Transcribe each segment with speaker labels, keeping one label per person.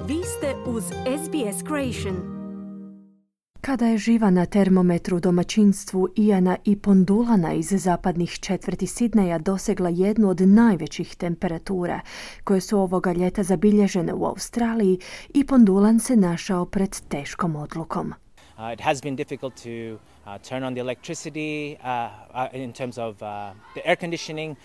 Speaker 1: Vi ste uz SBS Creation.
Speaker 2: Kada je živa na termometru domaćinstvu Iana i Pondulana iz zapadnih četvrti Sidneja dosegla jednu od najvećih temperatura koje su ovoga ljeta zabilježene u Australiji, i Pondulan se našao pred teškom odlukom.
Speaker 3: It has been difficult to turn on the electricity in terms of the air conditioning.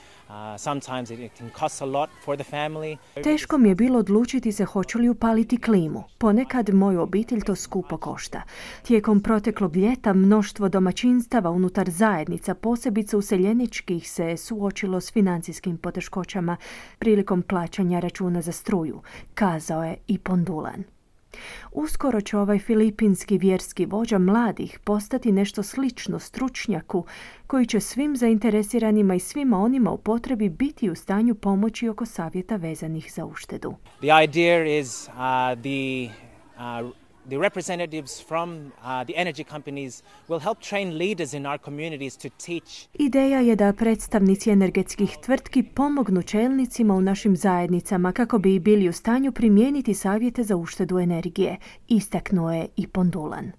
Speaker 3: Sometimes it can cost a lot for the family.
Speaker 2: Teško mi je bilo odlučiti se hoću li upaliti klimu. Ponekad moju obitelj to skupo košta. Tijekom proteklog ljeta mnoštvo domaćinstava unutar zajednica, posebice useljeničkih, se suočilo s financijskim poteškoćama prilikom plaćanja računa za struju, kazao je i Pondulan. Uskoro će ovaj filipinski vjerski vođa mladih postati nešto slično stručnjaku koji će svim zainteresiranima i svima onima u potrebi biti u stanju pomoći oko savjeta vezanih za uštedu.
Speaker 3: The idea is the representatives from the energy companies will help train leaders in our communities to teach.
Speaker 2: Ideja je da predstavnici energetskih tvrtki pomognu čelnicima u našim zajednicama kako bi bili u stanju primijeniti savjete za uštedu energije, istaknuo je i Pondulan.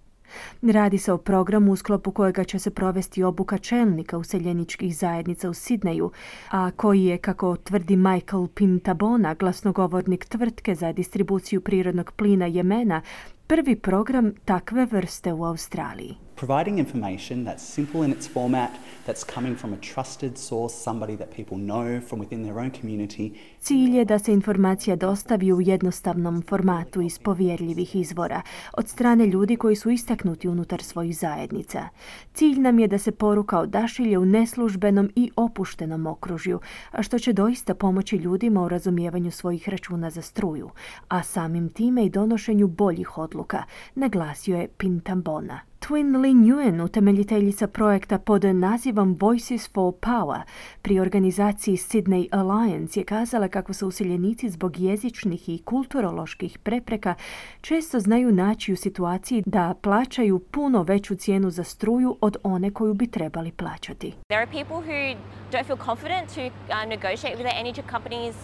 Speaker 2: Radi se o programu u sklopu kojega će se provesti obuka čelnika useljeničkih zajednica u Sidneju, a koji je, kako tvrdi Michael Pintabona, glasnogovornik tvrtke za distribuciju prirodnog plina Jemena, prvi program takve vrste u Australiji.
Speaker 4: Providing information that's simple in its format, that's coming from a trusted source, somebody that people know from within their own community.
Speaker 2: Cilj je da se informacija dostavi u jednostavnom formatu iz povjerljivih izvora od strane ljudi koji su istaknuti unutar svojih zajednica. Cilj nam je da se poruka odašilje u neslužbenom i opuštenom okružju, a što će doista pomoći ljudima u razumijevanju svojih računa za struju, a samim time i donošenju boljih odluka, naglasio je Pintabona. Twin Lee Nguyen, utemeljiteljica projekta pod nazivom Voices for Power pri organizaciji Sydney Alliance, je kazala kako se useljenici zbog jezičnih i kulturoloških prepreka često znaju naći u situaciji da plaćaju puno veću cijenu za struju od one koju bi trebali plaćati.
Speaker 5: There are people who don't feel confident to negotiate with their energy companies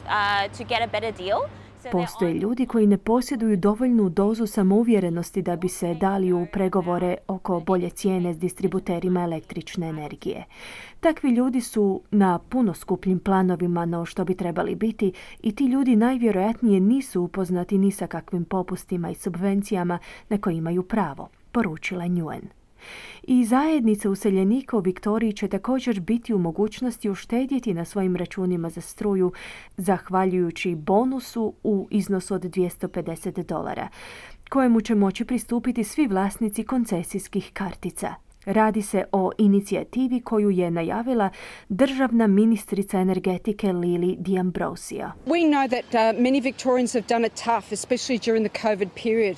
Speaker 5: to get a better deal.
Speaker 2: Postoje ljudi koji ne posjeduju dovoljnu dozu samouvjerenosti da bi se dali u pregovore oko bolje cijene s distributerima električne energije. Takvi ljudi su na puno skupljim planovima no što bi trebali biti, i ti ljudi najvjerojatnije nisu upoznati ni sa kakvim popustima i subvencijama na koje imaju pravo, poručila Nguyen. I zajednice useljenika u Viktoriji će također biti u mogućnosti uštedjeti na svojim računima za struju zahvaljujući bonusu u iznosu od $250, kojemu će moći pristupiti svi vlasnici koncesijskih kartica. Radi se o inicijativi koju je najavila državna ministrica energetike Lily D'Ambrosio.
Speaker 6: We know that many Victorians have done it tough, especially during the COVID period.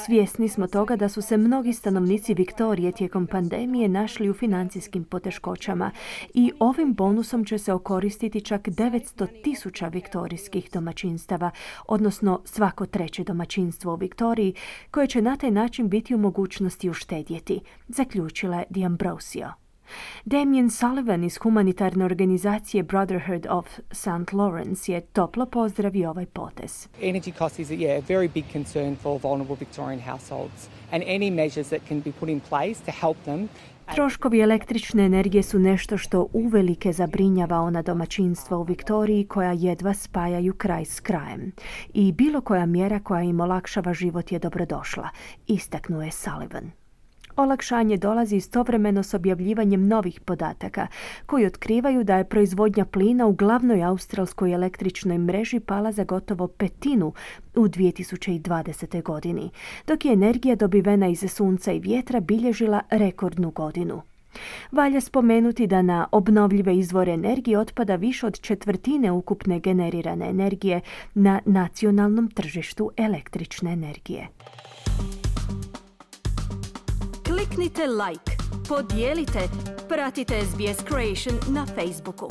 Speaker 2: Svjesni smo toga da su se mnogi stanovnici Viktorije tijekom pandemije našli u financijskim poteškoćama i ovim bonusom će se okoristiti čak 900,000 viktorijskih domaćinstava, odnosno svako treće domaćinstvo u Viktoriji, koje će na taj način biti u mogućnosti uštedjeti, zaključila je D'Ambrosio. Damien Sullivan iz humanitarne organizacije Brotherhood of St. Lawrence je toplo pozdravio ovaj potez.
Speaker 7: Energy cost is a very big concern for vulnerable Victorian households, and any measures that can be put in place to help them.
Speaker 2: Troškovi električne energije su nešto što uvelike zabrinjava ona domaćinstva u Viktoriji koja jedva spajaju kraj s krajem. I bilo koja mjera koja im olakšava život je dobrodošla, istaknuo je Sullivan. Olakšanje dolazi istovremeno s objavljivanjem novih podataka koji otkrivaju da je proizvodnja plina u glavnoj australskoj električnoj mreži pala za gotovo petinu u 2020. godini, dok je energija dobivena iz sunca i vjetra bilježila rekordnu godinu. Valja spomenuti da na obnovljive izvore energije otpada više od četvrtine ukupne generirane energije na nacionalnom tržištu električne energije.
Speaker 1: Kliknite like, podijelite, pratite SBS Creation na Facebooku.